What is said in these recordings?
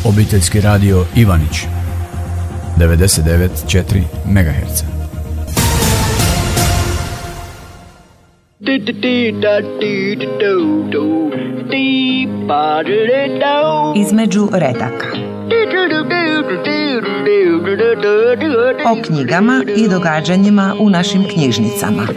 Obiteljski radio Ivanić 99,4 MHz. Između redaka. O knjigama i događanjima u našim knjižnicama.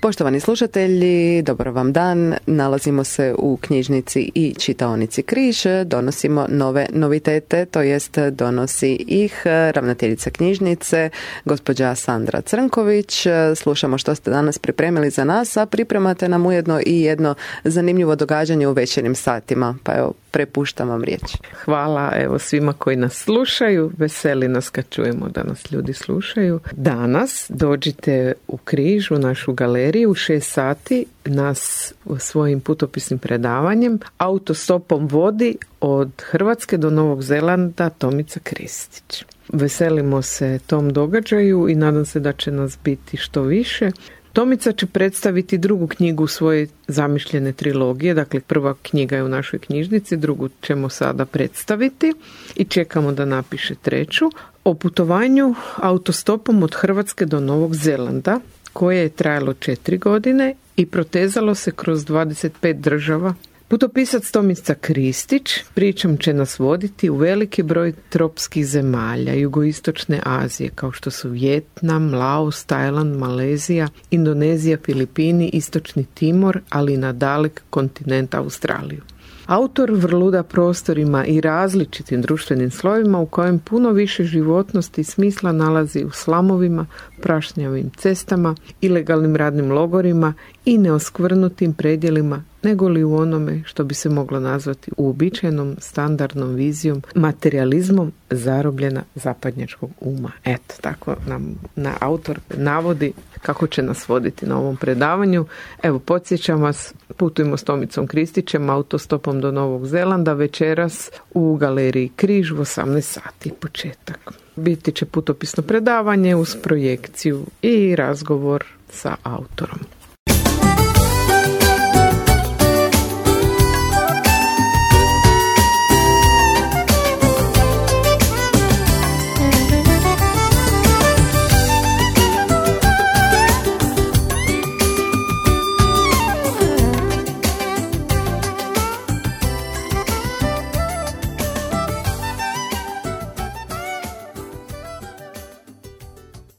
Poštovani slušatelji, dobar vam dan. Nalazimo se u knjižnici i čitaonici Križ. Donosimo nove novitete, to jest donosi ih ravnateljica knjižnice, gospođa Sandra Crnković. Slušamo što ste danas pripremili za nas, a pripremate nam ujedno i jedno zanimljivo događanje u večernjim satima. Pa evo, prepuštam vam riječ. Hvala evo svima koji nas slušaju. Veseli nas kad čujemo da nas ljudi slušaju. Danas dođite u Križ, u našu galeriju, u 6 sati nas svojim putopisnim predavanjem Autostopom vodi od Hrvatske do Novog Zelanda Tomica Kristić. Veselimo se tom događaju i nadam se da će nas biti što više. Tomica će predstaviti drugu knjigu svoje zamišljene trilogije, dakle prva knjiga je u našoj knjižnici, drugu ćemo sada predstaviti i čekamo da napiše treću, o putovanju autostopom od Hrvatske do Novog Zelanda, koje je trajalo 4 godine i protezalo se kroz 25 država. Putopisac Tomica Kristić pričom će nas voditi u veliki broj tropskih zemalja jugoistočne Azije, kao što su Vijetnam, Laos, Tajland, Malezija, Indonezija, Filipini, Istočni Timor, ali i na dalek kontinent Australiju. Autor vrluda prostorima i različitim društvenim slojevima u kojem puno više životnosti i smisla nalazi u slamovima, prašnjavim cestama, ilegalnim radnim logorima i neoskvrnutim predjelima, nego li u onome što bi se moglo nazvati uobičajenom standardnom vizijom, materializmom zarobljena zapadnjačkog uma. Eto, tako nam autor navodi kako će nas voditi na ovom predavanju. Evo, podsjećam vas, putujemo s Tomicom Kristićem autostopom do Novog Zelanda večeras u galeriji Križ u 18 sati početak. Biti će putopisno predavanje uz projekciju i razgovor sa autorom.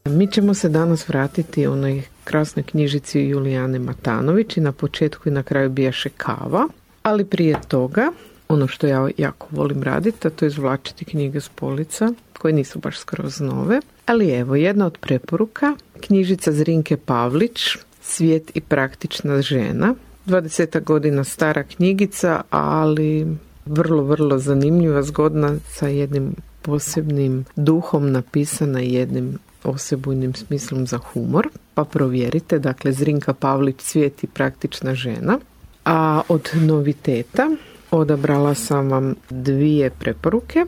Mi ćemo se danas vratiti onoj krasnoj knjižici Julijane Matanović i na početku i na kraju bijaše kava, ali prije toga ono što ja jako volim raditi, a to je izvlačiti knjige s polica koje nisu baš skroz nove, ali evo jedna od preporuka, knjižica Zrinke Pavlić, Svijet i praktična žena, 20 godina stara knjigica, ali vrlo zanimljiva, zgodna, sa jednim posebnim duhom napisana i jednim osebujnim smislom za humor, pa provjerite, dakle Zrinka Pavlić, Svijet i praktična žena. A od noviteta odabrala sam vam 2 preporuke.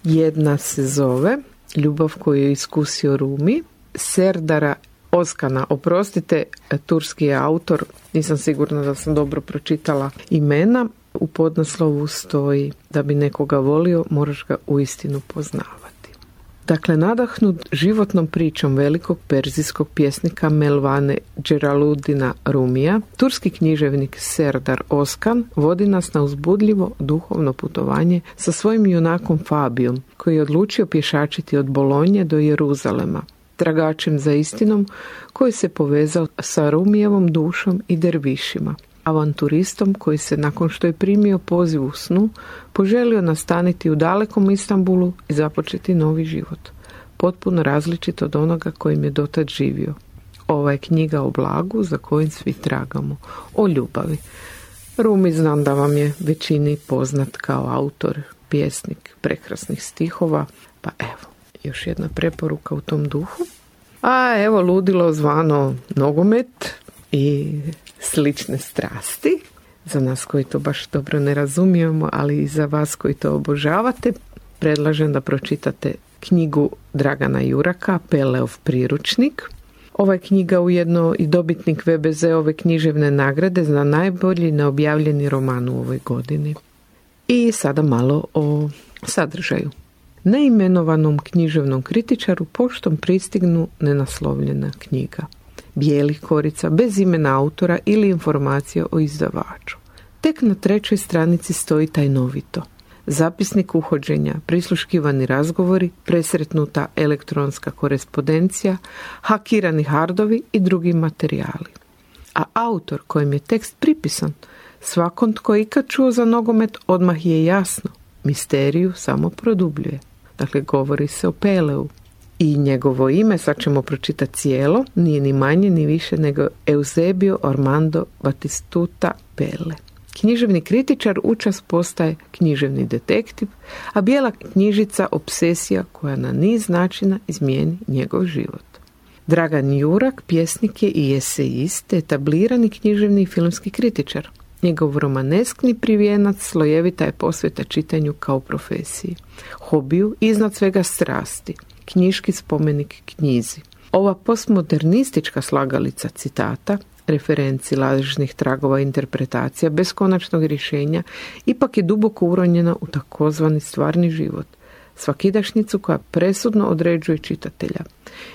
Jedna se zove Ljubav koju je iskusio Rumi, Serdara Oskana, oprostite, turski je autor, nisam sigurna da sam dobro pročitala imena. U podnaslovu stoji da bi nekoga volio, moraš ga uistinu poznavati. Dakle, nadahnut životnom pričom velikog perzijskog pjesnika Melvane Dželaludina Rumija, turski književnik Serdar Oskan vodi nas na uzbudljivo duhovno putovanje sa svojim junakom Fabijom, koji je odlučio pješačiti od Bolonje do Jeruzalema, tragačem za istinom koji se povezao sa Rumijevom dušom i dervišima, avanturistom koji se, nakon što je primio poziv u snu, poželio nastaniti u dalekom Istanbulu i započeti novi život, potpuno različit od onoga kojim je dotad živio. Ova je knjiga o blagu za kojim svi tragamo, o ljubavi. Rumi znam da vam je većini poznat kao autor, pjesnik prekrasnih stihova, pa evo, još jedna preporuka u tom duhu. A evo ludilo zvano nogomet i slične strasti. Za nas koji to baš dobro ne razumijemo, ali i za vas koji to obožavate, predlažem da pročitate knjigu Dragana Juraka, Peleov priručnik. Ova je knjiga ujedno i dobitnik VBZ-ove književne nagrade za najbolji neobjavljeni roman u ovoj godini. I sada malo o sadržaju. Neimenovanom književnom kritičaru poštom pristignu nenaslovljena knjiga. Bijelih korica, bez imena autora ili informacija o izdavaču. Tek na 3. stranici stoji tajnovito: zapisnik uhođenja, prisluškivani razgovori, presretnuta elektronska korespondencija, hakirani hardovi i drugi materijali. A autor kojem je tekst pripisan, svakom tko je ikad čuo za nogomet odmah je jasno, misteriju samo produbljuje. Dakle, govori se o Peleu. I njegovo ime, sad ćemo pročitati cijelo, nije ni manje ni više nego Eusebio Armando Batistuta Pele. Književni kritičar učas postaje književni detektiv, a bijela knjižica obsesija koja na niz načina izmijeni njegov život. Dragan Jurak pjesnik je i esejist, etablirani književni i filmski kritičar. Njegov romaneskni privijenac slojevita je posveta čitanju kao profesiji, hobiju i iznad svega strasti, knjiški spomenik knjizi. Ova postmodernistička slagalica citata, referenci, lažnih tragova interpretacija bez konačnog rješenja ipak je duboko uronjena u takozvani stvarni život, svakidašnjicu koja presudno određuje čitatelja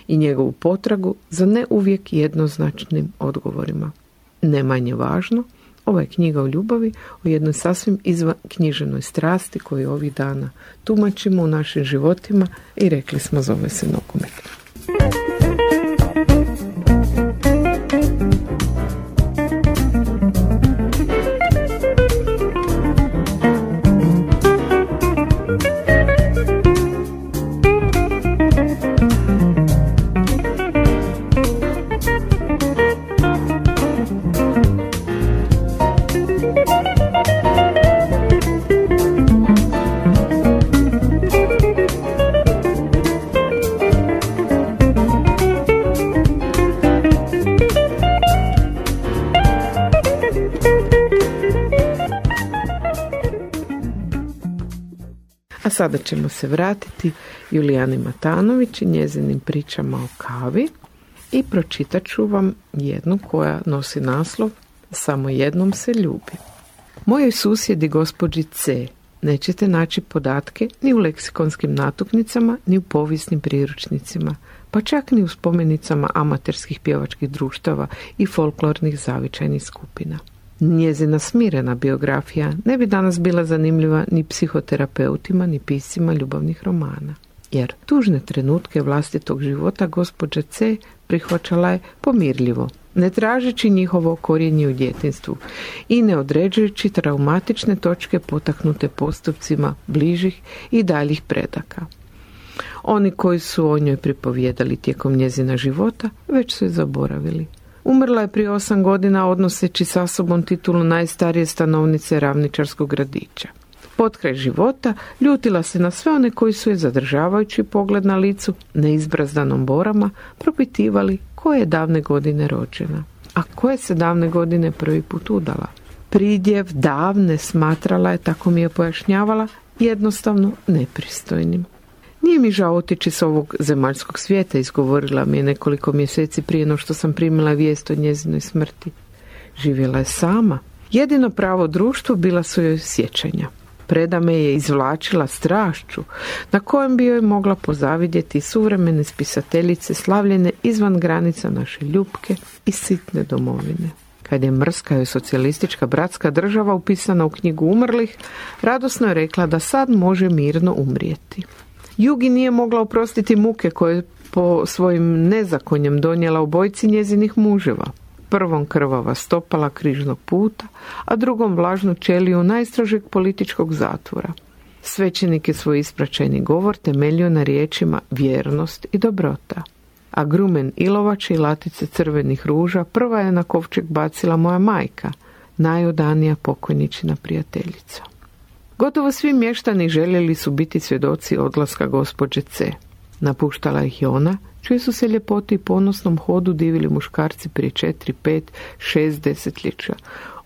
i njegovu potragu za ne uvijek jednoznačnim odgovorima. Ne manje važno, ova je knjiga o ljubavi, o jednoj sasvim izvan književnoj strasti koju ovih dana tumačimo u našim životima i rekli smo zove se nogomet. A sada ćemo se vratiti Julijani Matanović i njezinim pričama o kavi i pročitat ću vam jednu koja nosi naslov Samo jednom se ljubi. Mojoj susjedi gospođi C nećete naći podatke ni u leksikonskim natuknicama, ni u povijesnim priručnicima, pa čak ni u spomenicama amaterskih pjevačkih društava i folklornih zavičajnih skupina. Njezina smirena biografija ne bi danas bila zanimljiva ni psihoterapeutima, ni piscima ljubavnih romana. Jer tužne trenutke vlastitog života gospođa C prihvaćala je pomirljivo, ne tražeći njihovo korijenje u djetinjstvu i ne određujući traumatične točke potaknute postupcima bližih i daljih predaka. Oni koji su o njoj pripovijedali tijekom njezina života već su je zaboravili. Umrla je prije 8 godina odnoseći sa sobom titulu najstarije stanovnice ravničarskog gradića. Potkraj života ljutila se na sve one koji su je zadržavajući pogled na licu, neizbrazdanom borama, propitivali koje je davne godine rođena, a koje se davne godine prvi put udala. Pridjev davne smatrala je, tako mi je pojašnjavala, jednostavno nepristojnim. Nije mi žao otići s ovog zemaljskog svijeta, izgovorila mi je nekoliko mjeseci prije no što sam primila vijest o njezinoj smrti. Živjela je sama. Jedino pravo društvo bila su joj sjećanja. Preda me je izvlačila strašću na kojem bi joj mogla pozavidjeti suvremene spisateljice slavljene izvan granica naše ljubke i sitne domovine. Kad je mrska joj socijalistička bratska država upisana u knjigu umrlih, radosno je rekla da sad može mirno umrijeti. Jugi nije mogla oprostiti muke koje po svojim nezakonjem donijela obojici njezinih muževa. Prvom krvava stopala križnog puta, a drugom vlažnu ćeliju najstrožeg političkog zatvora. Svećenik je svoj ispraćajni govor temeljio na riječima vjernost i dobrota. A grumen ilovače i latice crvenih ruža prva je na kovčeg bacila moja majka, najodanija pokojničina prijateljica. Gotovo svi mještani željeli su biti svjedoci odlaska gospođe C. Napuštala ih i ona, čije su se ljepoti i ponosnom hodu divili muškarci prije 4, 5, 6 desetljeća.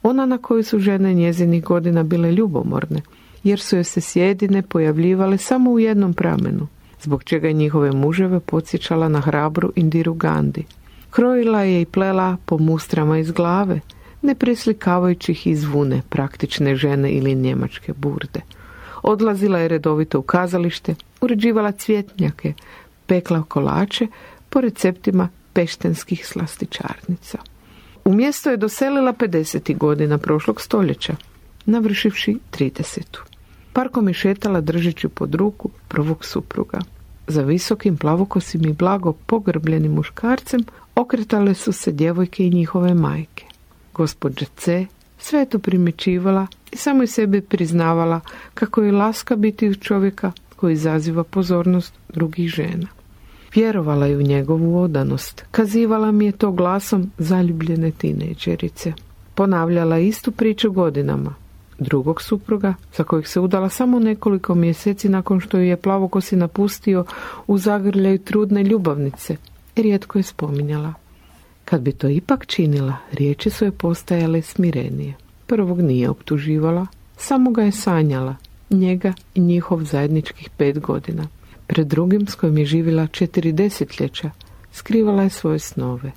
Ona na koju su žene njezinih godina bile ljubomorne, jer su joj se sjedine pojavljivale samo u jednom pramenu, zbog čega je njihove muževe podsjećala na hrabru Indiru Gandhi. Krojila je i plela po mustrama iz glave, ne preslikavajući ih iz vune praktične žene ili njemačke burde. Odlazila je redovito u kazalište, uređivala cvjetnjake, pekla kolače po receptima peštenskih slastičarnica. U mjesto je doselila 50. godina prošlog stoljeća, navršivši 30. Parkom je šetala držeći pod ruku prvog supruga. Za visokim plavokosim i blago pogrbljenim muškarcem okretale su se djevojke i njihove majke. Gospođa C sve je to primjećivala i samo i sebi priznavala kako je laska biti uz čovjeka koji izaziva pozornost drugih žena. Vjerovala je u njegovu odanost. Kazivala mi je to glasom zaljubljene tinejdžerice. Ponavljala istu priču godinama. Drugog supruga, za kojeg se udala samo nekoliko mjeseci nakon što ju je plavokosi napustio u zagrljaju trudne ljubavnice, rijetko je spominjala. Kad bi to ipak činila, riječi su je postajale smirenije. Prvog nije optuživala, samo ga je sanjala, njega i njihov zajedničkih 5 godina. Pred drugim, s kojim je živjela 4 desetljeća, skrivala je svoje snove.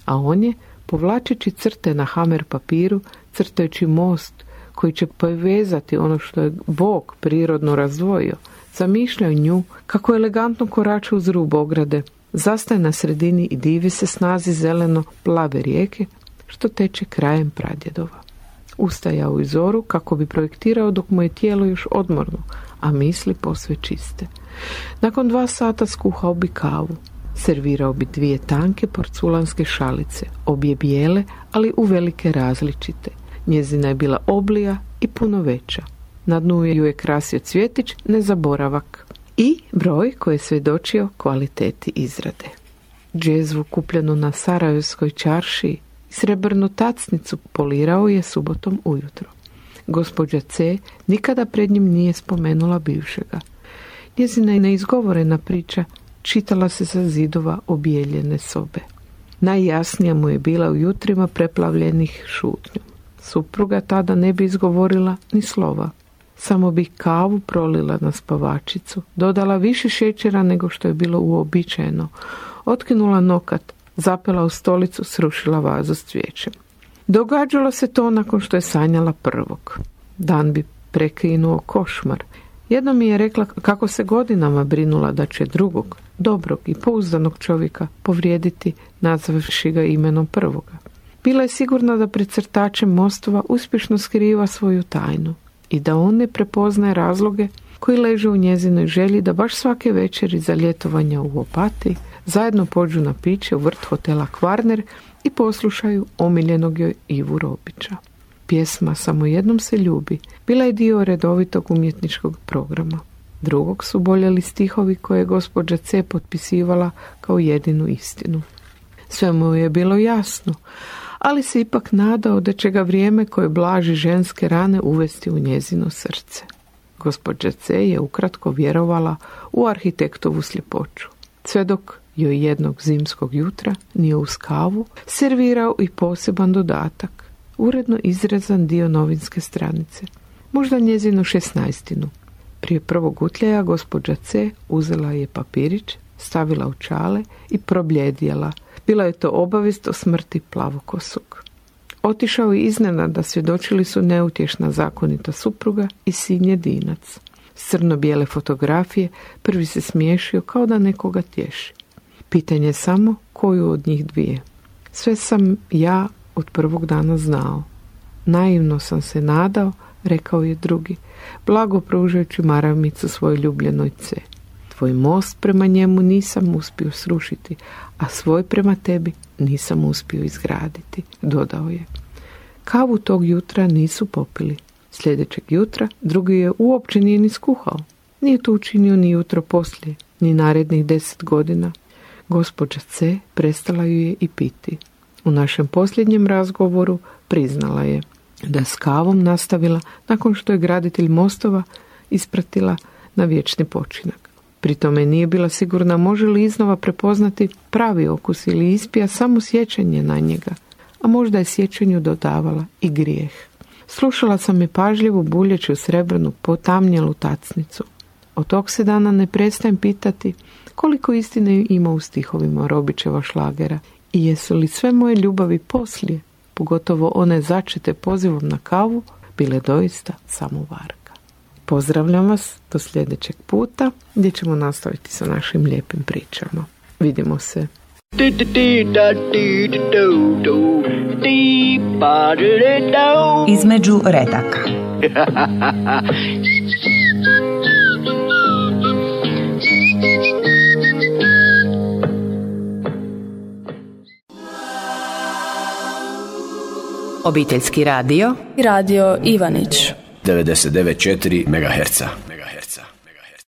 A on je, povlačeći crte na hamer papiru, crtajući most koji će povezati ono što je Bog prirodno razdvojio, zamišljao nju kako elegantno korača uz rub ograde, zastaje na sredini i divi se snazi zeleno-plave rijeke što teče krajem pradjedova. Ustajao u zoru kako bi projektirao dok mu je tijelo još odmorno, a misli posve čiste. Nakon 2 sata skuhao bi kavu. Servirao bi 2 tanke porculanske šalice, obje bijele, ali uvelike različite. Njezina je bila oblija i puno veća. Na dnu ju je krasio cvjetić, nezaboravak. I broj koji je svjedočio kvaliteti izrade. Džezvu kupljenu na Sarajevskoj čaršiji, srebrnu tacnicu polirao je subotom ujutro. Gospođa C nikada pred njim nije spomenula bivšega. Njezina je neizgovorena priča čitala se sa zidova obijeljene sobe. Najjasnija mu je bila u jutrima preplavljenih šutnjom. Supruga tada ne bi izgovorila ni slova. Samo bi kavu prolila na spavačicu, dodala više šećera nego što je bilo uobičajeno, otkinula nokat, zapela u stolicu, srušila vazu s cvijećem. Događalo se to nakon što je sanjala prvog. Dan bi prekinuo košmar. Jednom mi je rekla kako se godinama brinula da će drugog, dobrog i pouzdanog čovjeka povrijediti nazvavši ga imenom prvoga. Bila je sigurna da pred crtačem mostova uspješno skriva svoju tajnu i da on ne prepoznaje razloge koji leže u njezinoj želji da baš svake večeri za ljetovanja u Opatiji zajedno pođu na piće u vrt hotela Kvarner i poslušaju omiljenog joj Ivu Robića. Pjesma Samo jednom se ljubi bila je dio redovitog umjetničkog programa. Drugog su boljeli stihovi koje je gospođa C potpisivala kao jedinu istinu. Sve mu je bilo jasno, ali se ipak nadao da će ga vrijeme koje blaži ženske rane uvesti u njezino srce. Gospođa C je ukratko vjerovala u arhitektovu sljepoću. Sve dok joj jednog zimskog jutra nije uz kavu servirao i poseban dodatak, uredno izrezan dio novinske stranice, možda njezinu 16. Prije prvog utljaja gospođa C uzela je papirić, stavila u čale i probljedjela. Bila je to obavijest o smrti plavokosog. Otišao je iznenada, svjedočili su neutješna zakonita supruga i sin jedinac. S crno-bijele fotografije prvi se smiješio kao da nekoga tješi. Pitanje je samo koju od njih dvije. Sve sam ja od prvog dana znao. Naivno sam se nadao, rekao je drugi, blago pružajući maramicu svojoj ljubljenoj C. Tvoj most prema njemu nisam uspio srušiti, a svoj prema tebi nisam uspio izgraditi, dodao je. Kavu tog jutra nisu popili. Sljedećeg jutra drugi je uopće nije ni skuhao. Nije to učinio ni jutro poslije, ni narednih 10 godina. Gospođa C prestala ju je i piti. U našem posljednjem razgovoru priznala je da s kavom nastavila nakon što je graditelj mostova ispratila na vječni počinak. Pri tome nije bila sigurna može li iznova prepoznati pravi okus ili ispija samo sjećanje na njega, a možda je sjećanju dodavala i grijeh. Slušala sam je pažljivo buljeći u srebrnu potamnjelu tacnicu. Od tog se dana ne prestajem pitati koliko istine ima u stihovima Robićeva šlagera I jesu li sve moje ljubavi poslije, pogotovo one začete pozivom na kavu, bile doista samo varka? Pozdravljam vas do sljedećeg puta gdje ćemo nastaviti sa našim lijepim pričama. Vidimo se. Između redaka. Obiteljski radio i radio Ivanić 99,4 MHz.